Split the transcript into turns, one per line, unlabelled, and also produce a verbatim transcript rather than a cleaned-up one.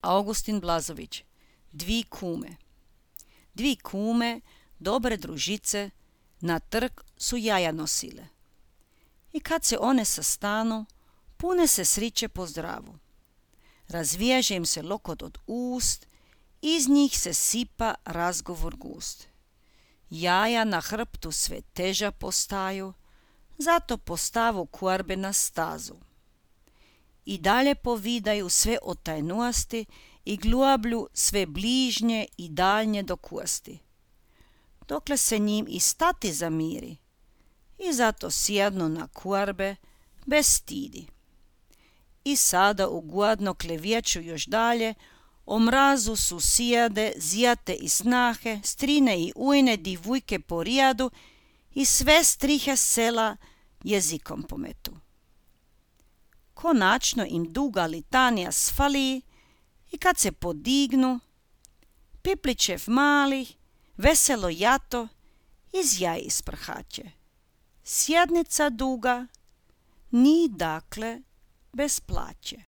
Augustin Blazović. Dvi kume. Dvi kume, dobre družice, na trg su jaja nosile. I kad se one sastanu, pune se sriće po zdravu. Razviježe im se lokot od ust, iz njih se sipa razgovor gust. Jaja na hrbtu sve teža postaju, zato postavu kuarbe na stazu. I dalje povidaju sve o tajnuasti i gluablju sve bližnje i daljnje do kuasti. Dokle se njim i stati zamiri, i zato sjednu na kuarbe bez stidi. I sada ugodno klevječu još dalje, o mrazu su sijade, zijate i snahe, strine i ujne, divujke po rijadu i sve strihe sela jezikom pometu. Konačno im duga litanija sfali i kad se podignu, piplićev mali, veselo jato iz jaj isprhaće. Sjednica duga, ni dakle bez plaće.